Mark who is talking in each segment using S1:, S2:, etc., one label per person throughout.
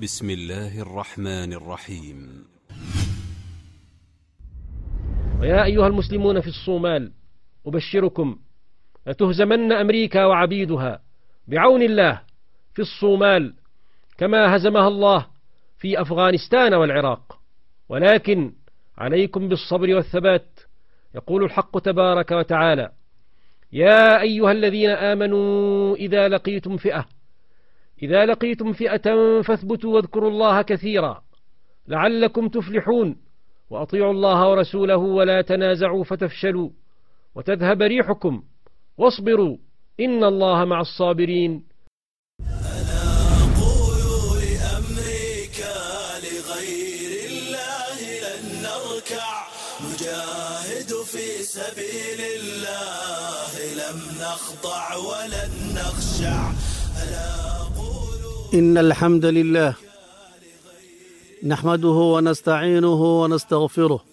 S1: بسم الله الرحمن الرحيم.
S2: ويا أيها المسلمون في الصومال، أبشركم لتهزمن أمريكا وعبيدها بعون الله في الصومال كما هزمها الله في أفغانستان والعراق، ولكن عليكم بالصبر والثبات. يقول الحق تبارك وتعالى: يا أيها الذين آمنوا إذا لقيتم فئة فاثبتوا واذكروا الله كثيرا لعلكم تفلحون، وأطيعوا الله ورسوله ولا تنازعوا فتفشلوا وتذهب ريحكم، واصبروا إن الله مع الصابرين.
S3: أنا أقول لأمريكا لغير الله لن نركع، نجاهد في سبيل الله لم نخضع ولن نخشع. أنا أقول
S4: إن الحمد لله نحمده ونستعينه ونستغفره،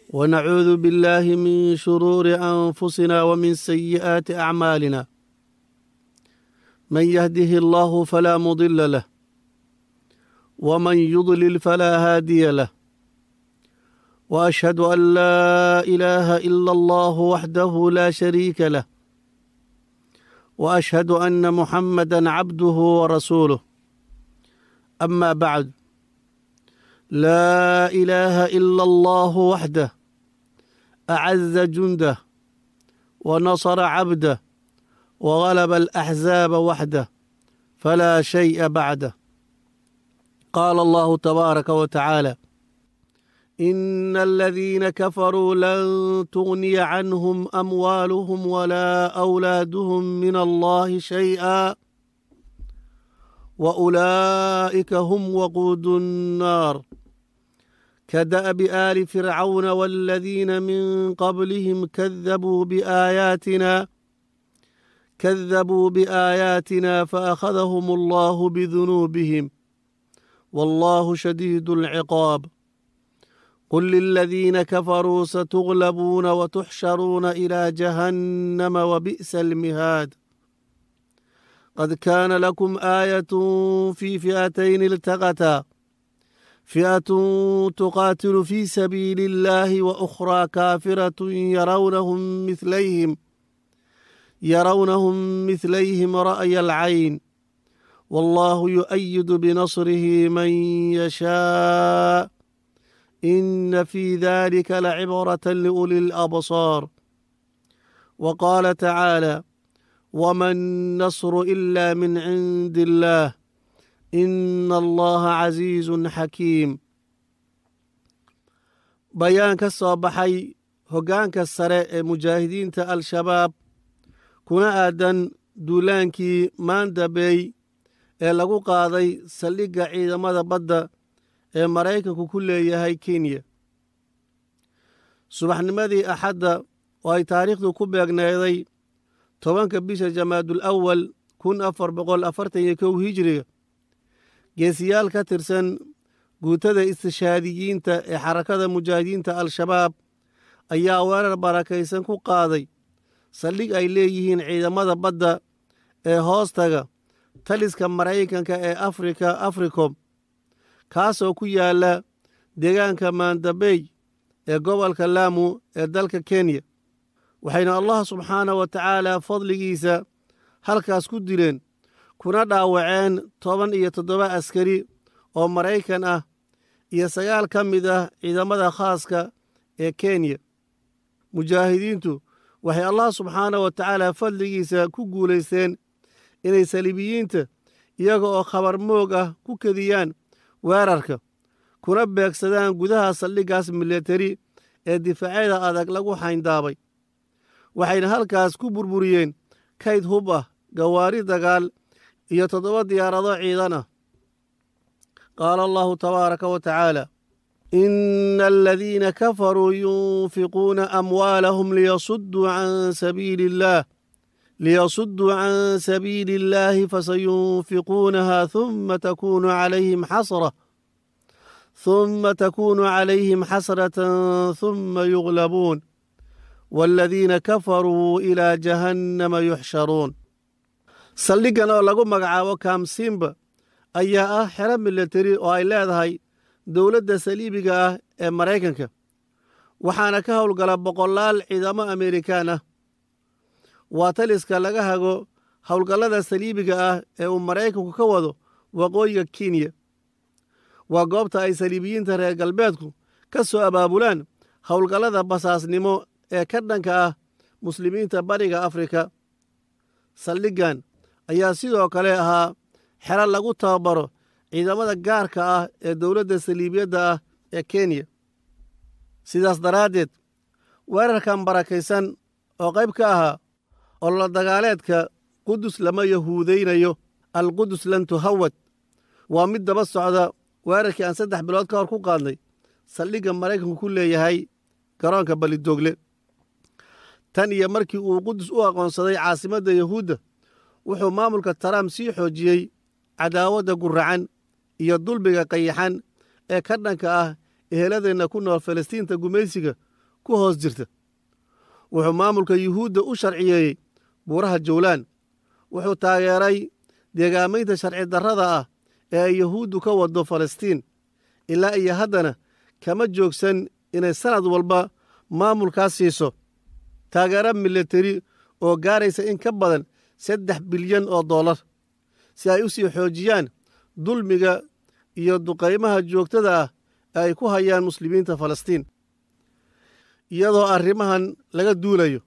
S4: ونعوذ بالله من شرور أنفسنا ومن سيئات أعمالنا. من يهده الله فلا مضل له، ومن يضلل فلا هادي له، وأشهد أن لا إله إلا الله وحده لا شريك له، وأشهد أن محمدا عبده ورسوله. أما بعد، لا إله إلا الله وحده أعز جنده ونصر عبده وغلب الأحزاب وحده فلا شيء بعده. قال الله تبارك وتعالى: إن الذين كفروا لن تغني عنهم أموالهم ولا أولادهم من الله شيئا وأولئك هم وقود النار. كدأب آل فرعون والذين من قبلهم كذبوا بآياتنا فأخذهم الله بذنوبهم والله شديد العقاب. قل للذين كفروا ستغلبون وتحشرون إلى جهنم وبئس المهاد. قد كان لكم آية في فئتين التقتا، فئة تقاتل في سبيل الله وأخرى كافرة يرونهم مثليهم رأي العين، والله يؤيد بنصره من يشاء، إن في ذلك لعبرة لأولي الأبصار. وقال تعالى: وما النصر إلا من عند الله إن الله عزيز حكيم. Bayaan ka soo baxay hoggaanka sare ee mujaahidiinta Al-Shabaab kuna aadan duulaankii Maandabey ee lagu qaaday saldhigga ciidamada badda ee Maraykanku ku leeyahay Kenya. Subaxnimadii Axadda oo ay taariikhdu ku beegneeday 10-ka bisha Jamaadul Awal 1441 hijriga, geesiyaal ka tirsan guutada istishaadiyiinta ee xarakada mujaahidiinta Al-Shabaab ayaa weerar barakaysan ku qaaday saldhig ay leeyihiin ciidamada badda ee hoostaga taliska Maraykanka ee Afrika Africom, kaasoo ku yaala deegaanka Maandabey ee gobolka Laamu ee dalka Kenya. Waxayna Allah subxaanahu wa tacaala fadligiisa halkaas ku dileen kuna dhaawaceen 17 askari oo Maraykan ah iyo 9 ka mid ah ciidamada khaaska ee Kenya. Mujaahidiintu waxay Allah subxaanahu wa tacaala fadligiisa ku guulaysteen inay saliibiyiinta iyaga oo khabar moog ah ku kediyaan weerarka kuna beegsadaan gudaha saldhiggaas militari ee difaacyada adag lagu xayndaabay. Waxayna halkaas ku burburiyeen kayd hub ah, gawaari dagaal iyo 7 diyaarado ciidan ah. Qaala Allahu tabaaraka wa tacaala: إن الذين كفروا ينفقون أموالهم ليصدوا عن سبيل الله فسينفقونها ثم تكون عليهم حسرة ثم يغلبون والذين كفروا إلى جهنم يحشرون. Saldhiggan oo lagu magacaabo Kamsimba ayaa ah xero milatari oo ay leedahay dowladda saliibiga ah ee Maraykanka, waxaana ka howlgala boqolaal ciidamo Amerikaan ah. Waa taliska laga hago howlgallada saliibiga ah ee uu Maraykanku ka wado waqooyiga Kenya. Waa goobta ay saliibiyiinta reer galbeedku ka soo abaabulaan howlgallada basaasnimo ee ka dhanka ah muslimiinta Bariga Afrika. Saldhiggan ayaa sidoo kale ahaa xero lagu tababaro ciidamada gaarka ah ee dowladda saliibiyadda ah ee Kenya. Sidaas daraaddeed, weerarkan barakaysan oo qayb ka ahaa ololo dagaaleedka Qudus lama yahuudaynayo, Alqudus lan tuhawad, waa mid daba socda weerarkii aan 3 bilood ka hor ku qaadnay saldhigga Maraykanku ku leeyahay garoonka Balidoogle. Tan iyo markii uu Qudus u aqoonsaday caasimadda Yahuudda, wuxuu maamulka Trump sii xoojiyey cadaawadda guracan iyo dulbiga qayaxan ee ka dhanka ah eheladeenna ku nool Falastiinta gumaysiga ku hoos jirta. Wuxuu maamulka Yuhuudda u sharciyeeyey buuraha Jowlaan. Wuxuu taageeray deegaamaynta sharci darrada ah ee ay Yahuuddu ka waddo Falastiin, ilaa iyo haddana kama joogsan inay sannad walba maamulkaas siiso taageero milatari oo gaaraysa in ka badan 3 bilyan oo dollar si ay u sii xoojiyaan dulmiga iyo duqaymaha joogtada ah ee ay ku hayaan muslimiinta Falastiin. Iyadoo arrimahan laga duulayo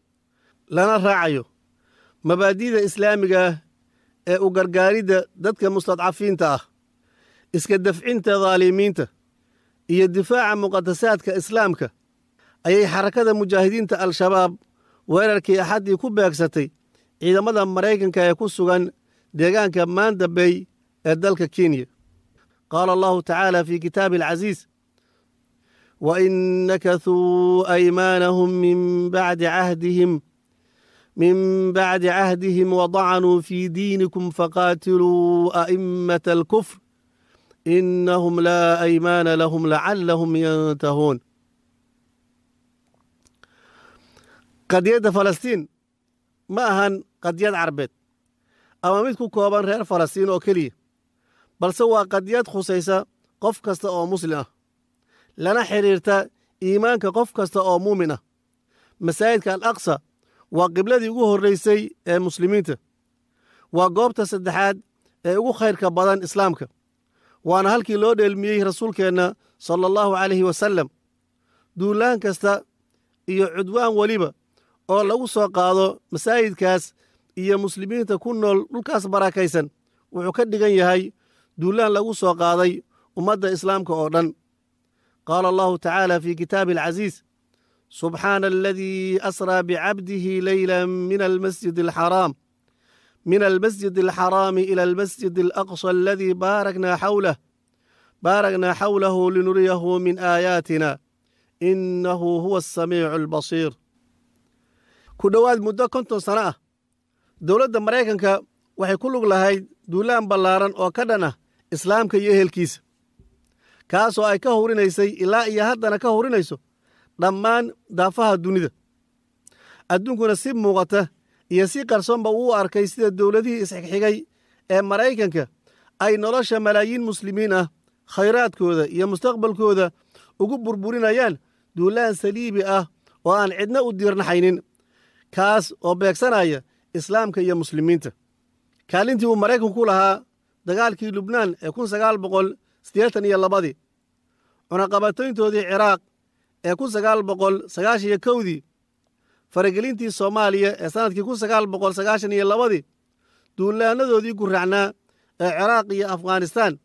S4: lana raacayo mabaadi'da islaamiga ah ee u gargaaridda dadka mustadcafiinta ah, iska dafcinta dhaalimiinta iyo difaaca muqadasaadka islaamka, ayay Xarakada Mujaahidiinta Al-Shabaab weerarkii Axaddii ku beegsatay ciidamada Maraykanka ee ku sugan deegaanka Manda Bay ee dalka Kenya. Qaala Allahu tacaala fi kitaabi alcasiis: wain nakathuu aymaanahum min bacdi cahdihim wadacanuu fii diinikum faqaatiluu a'immata alkufr inahum laa aymaana lahum lacallahum yantahuun. Qadiyadda Falastiin ma ahan qadiyad carbeed ama mid ku kooban reer Falastiin oo keliya, balse waa qadiyad khusaysa qof kasta oo muslim ah, lana xidhiirta iimaanka qof kasta oo muumin ah. Masaajidka Al Aqsa waa qibladii ugu horraysay ee muslimiinta, waa goobta saddexaad ee ugu khayrka badan islaamka, waana halkii loo dheelmiyey rasuulkeenna sala Allahu calayhi wasallam. Duulaan kasta iyo cudwaan weliba oo lagu soo qaado masaajidkaas iyo muslimiinta ku nool dhulkaas barakaysan wuxuu ka dhigan yahay duulaan lagu soo qaaday ummadda islaamka oo dhan. Qaala Allahu tacaala fi kitaabi alcasiis: subxaana aladii asraa bicabdihi leyla min almasjid alxaraami ila almasjid alaqsa aladii baaraknaa xawlahu linuriyahu min aayaatina inahu huwa asamiicu albasiir. Ku dhowaad muddo 50 sano ah, dowladda Maraykanka waxay ku lug lahayd duulaan ballaaran oo ka dhan ah islaamka iyo ehelkiisa, kaasoo ay ka hurinaysay ilaa iyo haddana ka hurinayso dhammaan daafaha dunida. Adduunkuna si muuqata iyo si qarsoonba uu arkay sida dowladihii isxigxigay ee Maraykanka ay nolosha malaayiin muslimiin ah, khayraadkooda iyo mustaqbalkooda ugu burburinayaan duulaan saliibi ah oo aan cidna u diirnaxaynin, kaas oo beegsanaya islaamka iyo muslimiinta. Kaalintii uu Maraykanku ku lahaa dagaalkii Lubnaan ee 1982-dii, cunaqabatayntoodii Ciraaq ee 1991-dii, faragelintii Soomaaliya ee sannadkii 1992-dii, duulaanadoodii gurracnaa ee Ciraaq iyo Afghanistaan,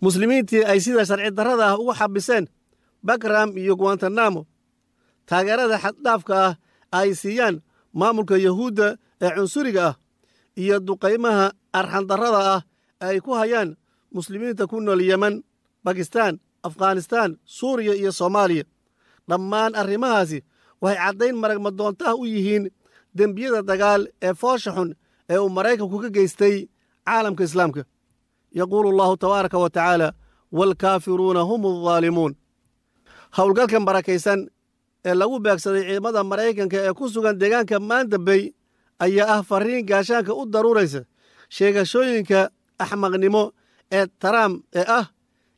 S4: muslimiintii ay sida sharci darrada ah ugu xabiseen Bakram iyo Guantanamo, taageerada xaddhaafka ah ay siiyaan maamulka Yahuudda ee cunsuriga ah, iyo duqaymaha arxandarrada ah ay ku hayaan muslimiinta ku nool Yemen, Bakistan, Afghanistaan, Suuriya iyo Soomaaliya, dhammaan arrimahaasi waxay caddayn maragmadoontaha u yihiin dembiyada dagaal ee foosha xun ee uu Maraykanku ka geystay caalamka islaamka. Yaquulu Allahu tabaaraka wa tacaala: waalkaafiruuna hum aldaalimuun. Howlgalkan barakaysan ee lagu beegsaday ciidamada Maraykanka ee ku sugan deegaanka Manda Bay ayaa ah fariin gaashaanka u daruuraysa sheegashooyinka axmaqnimo. ee Trump ee ah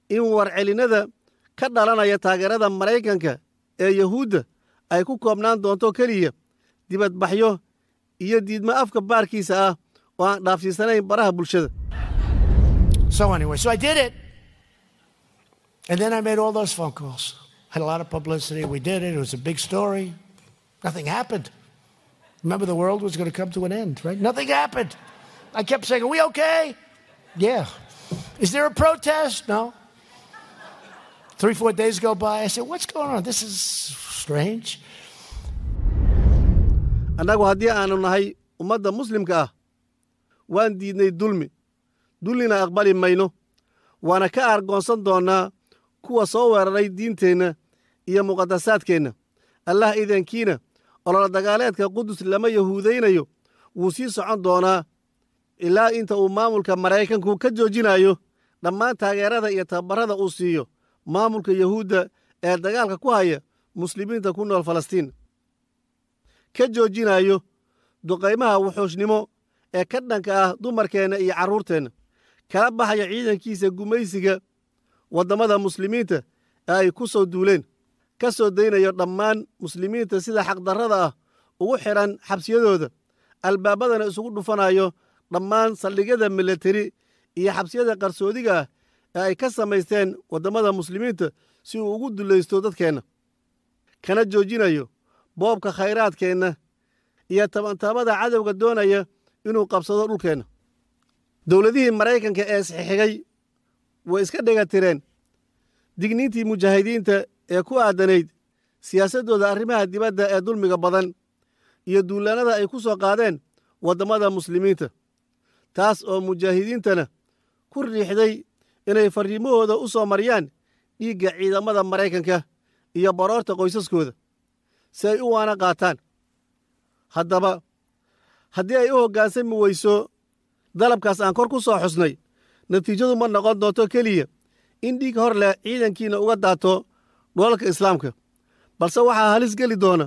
S4: in warcelinnada ka dhalanaya taageerada Maraykanka ee Yahuudda ay ku koobnaan doonto keliya dibadbaxyo iyo diidmo afka baarkiisa ah oo aan dhaafsiisanayn baraha bulshada.
S5: So anyway, so I did it. And then I made all those phone calls. Had a lot of publicity. We did it. It was a big story. Nothing happened. Remember, the world was going to come to an end, right? Nothing happened. I kept saying, "Are we okay?" "Yeah." "Is there a protest?" "No." 3, 4 days go by. I said, "What's going on? This is strange."
S4: Annagu haddii aanu nahay ummadda Muslimka ah, waan diidnay dulmi, dulmina aqbali mayno, waana ka aargoonsan doonnaa kuwa soo weeraray diinteenna iyo muqadasaadkeenna. Allah idankiina, ololo dagaaleedka Qudus lama yahuudaynayo wuu sii socon doonaa ilaa inta uu maamulka Maraykanku ka joojinayo dhammaan taageerada iyo tababarrada uu siiyo maamulka Yahuudda ee dagaalka ku haya Muslimiinta ku nool Falastiin, ka joojinayo duqaymaha wuxuushnimo ee ka dhanka ah dumarkeenna iyo carruurteenna, kala baxaya ciidankiisa gumaysiga waddamada Muslimiinta ee ay ku soo duuleen, ka soo daynayo dhammaan Muslimiinta sida xaqdarrada ah ugu xidhan xabsiyadooda, albaabadana isugu dhufanayo dhammaan saldhigyada milateri iyo xabsiyada qarsoodiga ah ee ay ka samaysteen waddamada Muslimiinta si uu ugu dulaysto dadkeenna, kana joojinayo boobka khayraadkeenna iyo tabantaabada cadowga doonaya inuu qabsado dhulkeenna. Dowladihii Maraykanka ee isxixigay way iska dhega tireen digniintii mujaahidiinta ee ku aadanayd siyaasaddooda arrimaha dibadda ee dulmiga badan iyo duulaannada ay ku soo qaadeen waddamada Muslimiinta, taas oo mujaahidiintana ku riixday inay farriimahooda u soo mariyaan dhiigga ciidamada Maraykanka iyo baroorta qoysaskooda si ay u waana qaataan. Haddaba, haddii ay u hoggaansami weyso dalabkaas aan kor ku soo xusnay, natiijadu ma noqon doonto keliya in dhiig hor leh ciidankiina uga daato dhulalka Islaamka, balse waxaa halis geli doona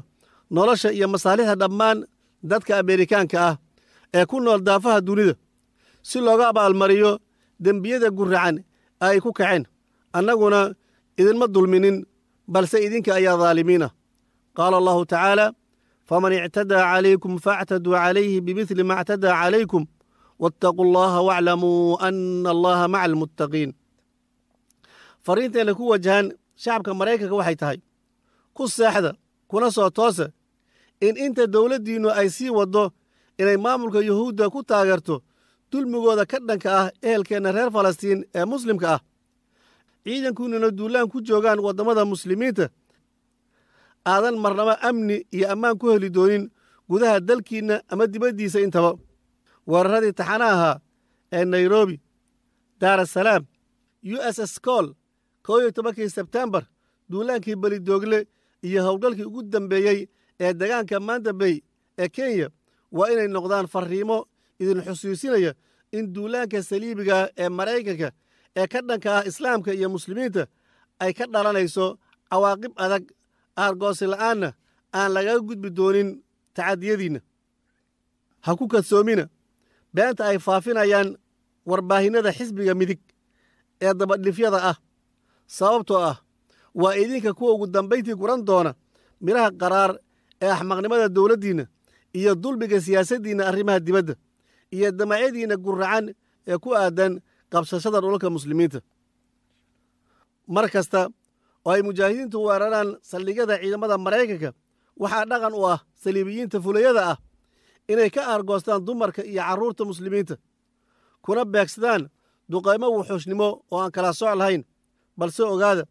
S4: nolosha iyo masaalixda dhammaan dadka Ameerikaanka ah ee ku nool daafaha dunida si looga abaalmariyo dembiyada guracan ee ay ku kaceen. Annaguna idinma dulminin, balse idinka ayaa daalimiin ah. Qaala Allahu tacaala: "Faman ictadaa calaykum faactaduu calayhi bimidli ma ictadaa calaykum waataquu Allaha waaclamuu ana Allaha maca almuttaqiin." Fariinteenna ku wajahan shacabka Maraykanka waxay tahay: ku seexda kuna soo toosa in inta dowladdiinnu ay sii waddo inay maamulka Yuhuudda ku taageerto dulmigooda ka dhanka ah ehelkeenna reer Falastiin ee Muslimka ah, ciidankuununa duulaan ku joogaan waddamada Muslimiinta, aadan marnaba amni iyo ammaan ku heli doonin gudaha dalkiinna ama dibaddiisa intaba. Weeraradii taxana ahaa ee Nairobi, Daarasalaam, USS Cole, 11-kii Sebtembar, duulaankii Belidoogle iyo howlgalkii ugu dambeeyey ee degaanka Manda Bay ee Kenya waa inay noqdaan farriimo idin xusuusinaya in duulaanka saliibiga ee Maraykanka ee ka dhanka ah Islaamka iyo Muslimiinta ay ka dhalanayso cawaaqib adag, aargoosi la'aanna aan lagaga gudbi doonin tacadiyadiinna. Ha ku kadsoomina beenta ay faafinayaan warbaahinnada xisbiga midig ee dabadhifyada ah, sababtoo ah waa idinka kuwa ugu dambayntii guran doona midhaha qaraar ee axmaqnimada dowladdiinna iyo dulmiga siyaasaddiinna arrimaha dibadda iyo damacyadiinna guracan ee ku aadan qabsashada dhulalka Muslimiinta. Mar kasta oo ay mujaahidiintu weeraraan saldhigyada ciidamada Maraykanka, waxaa dhaqan u ah saliibiyiinta fulayada ah inay ka aargoostaan dumarka iyo carruurta Muslimiinta, kuna beegsadaan duqaymo wuxuushnimo oo aan kala soc lahayn. Balse ogaada,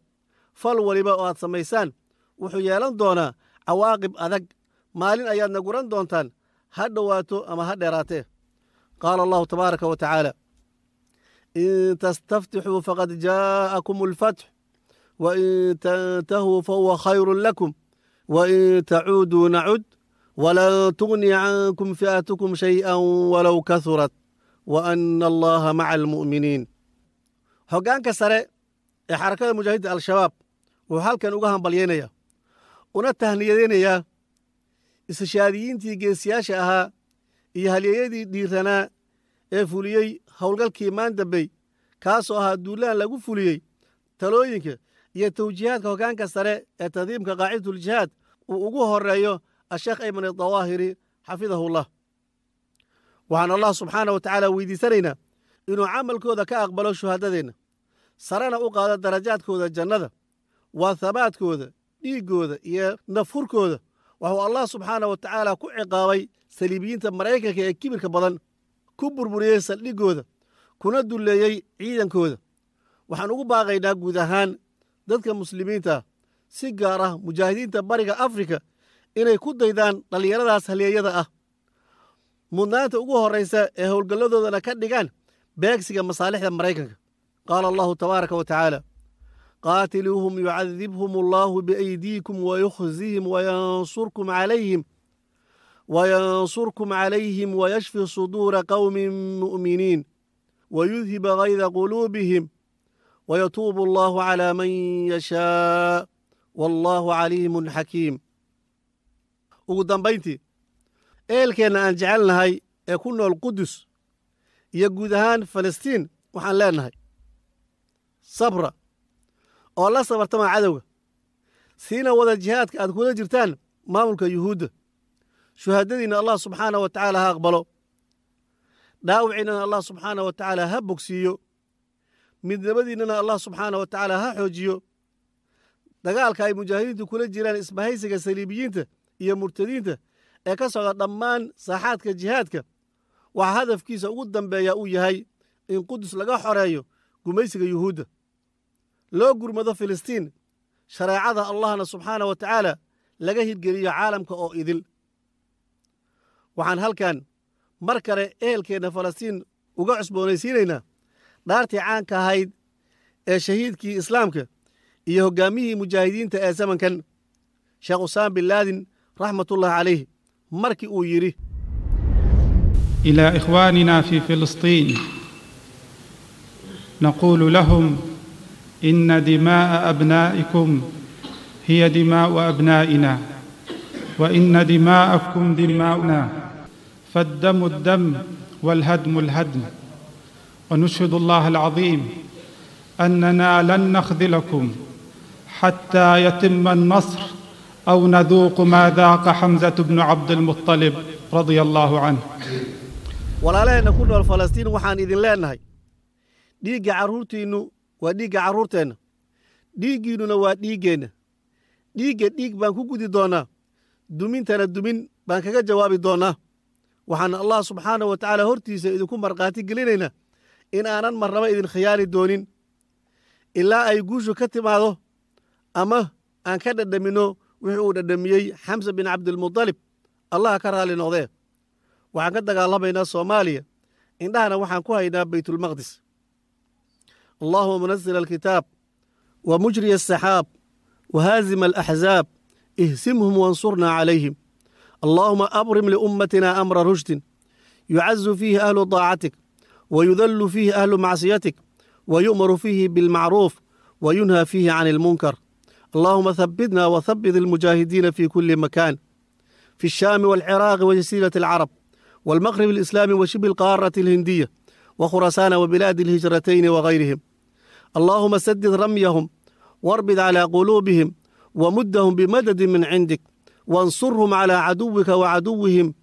S4: fal waliba oo aad samaysaan wuxuu yeelan doonaa cawaaqib adag. Maalin ayaadna guran doontaan, ha dhowaato ama ha dheeraatee. Qaala Allahu tabaaraka wa tacaala: "In tastaftixuu faqad jaa'akum alfatx, wain tantahuu fahuwa khayrun lakum, wain tacuuduu nacud, walan tugniya cankum fi'atukum shay'an walow kahurat, wa ana Allaha maca almu'miniin." Hoggaanka sare ee Xarakada Mujaahidiinta Al-Shabaab wuxuu halkan uga hambalyaynayaa una tahniyadeynayaa istishaadiyiintii geesiyaasha ahaa iyo halyeeyadii dhiiranaa ee fuliyey howlgalkii Maandabey. Kaasoo ahaa duulaan lagu fuliyey talooyinka iyo tawjiihaadka hoggaanka sare ee tandiimka qaacidatuljihaad uu ugu horreeyo asheekh Ayman Adawaahiri xafidahullah. Waxaan Allah subxaana wa tacaala weydiisanaynaa inuu camalkooda ka aqbalo shuhadadeenna, sarena u qaado darajaadkooda jannada. Waa habaadkooda, dhiiggooda iyo nafhurkooda waxuu Allah subxaana wa tacaala ku ciqaabay saliibiyiinta Maraykanka ee kibirka badan, ku burburiyey saldhiggooda, kuna dulleeyey ciidankooda. Waxaan ugu baaqaynaa guud ahaan dadka muslimiinta, si gaar ah mujaahidiinta Bariga Afrika, inay ku daydaan dhallinyaradaas halyeeyada ah, mudnaanta ugu horraysa ee howlgalladoodana ka dhigaan beegsiga masaalixda Maraykanka. Qaala Allahu tabaaraka wa tacaala: qaatiluuhum yucadibhum Allahu biaydiikum wayukhzihim wayansurkum calayhim wayashfi suduura qowmin mu'miniin wayudhiba gayda quluubihim wayatuubu Allahu calaa man yashaa wallaahu caliimun xakiim. Ugu dambayntii, ehelkeenna aan jecelnahay ee ku nool Qudus iyo guud ahaan Falastiin waxaan leenahay: sabra oo la sabartama cadowga, siina wada jihaadka aad kula jirtaan maamulka Yuhuudda. Shuhaadadiinna Allah subxaana wa tacaala ha aqbalo, dhaawiciinnana Allah subxaana wa tacaala ha bogsiiyo, midnimadiinnana Allah subxaana wa tacaala ha xoojiyo. Dagaalka ay mujaahidiintu kula jiraan isbahaysiga saliibiyiinta iyo murtadiinta ee ka socda dhammaan saaxaadka jihaadka waxaa hadafkiisa ugu dambeeya uu yahay in Qudus laga xoreeyo gumaysiga Yuhuudda, loo gurmado Filistiin, shareecada Allahna subxaana wa tacaala laga hirgeliyo caalamka oo idil. Waxaan halkan mar kale ehelkeenna Falastiin uga cusboonaysiinaynaa dhaartii caanka ahayd ee shahiidkii islaamka iyo hoggaamiyihii mujaahidiinta ee zamankan, Sheekh Usaam bin Laadin raxmatullahi calayh, markii uu yidhi:
S6: الى اخواننا في فلسطين نقول لهم: ان دماء ابنائكم هي دماء ابنائنا، وان دماءكم دماؤنا، فالدم الدم والهدم الهدم. ونشهد الله العظيم اننا لن نخذلكم حتى يتم النصر او نذوق ما ذاق حمزه بن عبد المطلب رضي الله عنه.
S4: Walaalaheenna ku nool Falastiin waxaan idin leenahay: dhiigga carruurtiinnu waa dhiigga carruurteenna, dhiiggiinnuna waa dhiiggeenna. Dhiigga dhiig baan ku gudi doonnaa, dumintana dumin baan kaga jawaabi doonnaa. Waxaan Allah subxaana wa tacaala hortiisa idinku markhaati gelinaynaa in aanan marnaba idin khiyaali doonin ilaa ay guushu ka timaado ama aan ka dhadhaminno wixii uu dhadhamiyey Xamsa bin Cabdilmudalib, Allah ka raalli noqdee. Waxaan ka dagaalamaynaa Soomaaliya, indhahana waxaan ku haynaa Baytulmaqdis. اللهم منزل الكتاب ومجري السحاب وهازم الأحزاب، اهزمهم وانصرنا عليهم. اللهم أبرم لأمتنا أمر رشد يعز فيه أهل طاعتك ويذل فيه أهل معصيتك، ويؤمر فيه بالمعروف وينهى فيه عن المنكر. اللهم ثبتنا وثبت المجاهدين في كل مكان، في الشام والعراق وجزيرة العرب والمغرب الإسلامي وشبه القارة الهندية وخراسان وبلاد الهجرتين وغيرهم. اللهم سدد رميهم واربد على قلوبهم ومدهم بمدد من عندك، وانصرهم على عدوك وعدوهم،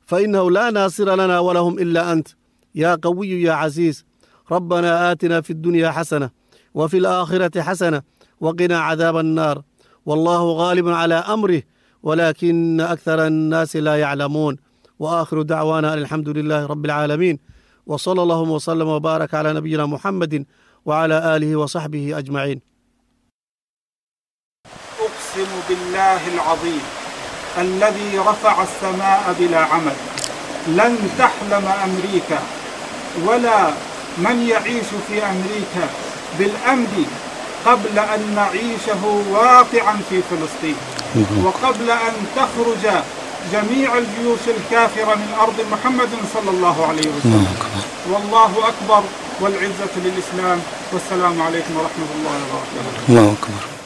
S4: فإنه لا ناصر لنا ولهم إلا أنت يا قوي يا عزيز. ربنا آتنا في الدنيا حسنة وفي الآخرة حسنة وقنا عذاب النار. والله غالب على أمره ولكن أكثر الناس لا يعلمون. وآخر دعوانا أن الحمد لله رب العالمين، وصلى الله وسلم وبارك على نبينا محمد وعلى آله وصحبه أجمعين.
S6: أقسم بالله العظيم الذي رفع السماء بلا عمد، لن تحلم أمريكا ولا من يعيش في أمريكا بالأمن قبل أن نعيشه واقعا في فلسطين، وقبل أن تخرج جميع الجيوش الكافرة من أرض محمد صلى الله عليه وسلم. والله أكبر، والعزة للإسلام، والسلام عليكم ورحمة الله وبركاته.
S7: الله أكبر.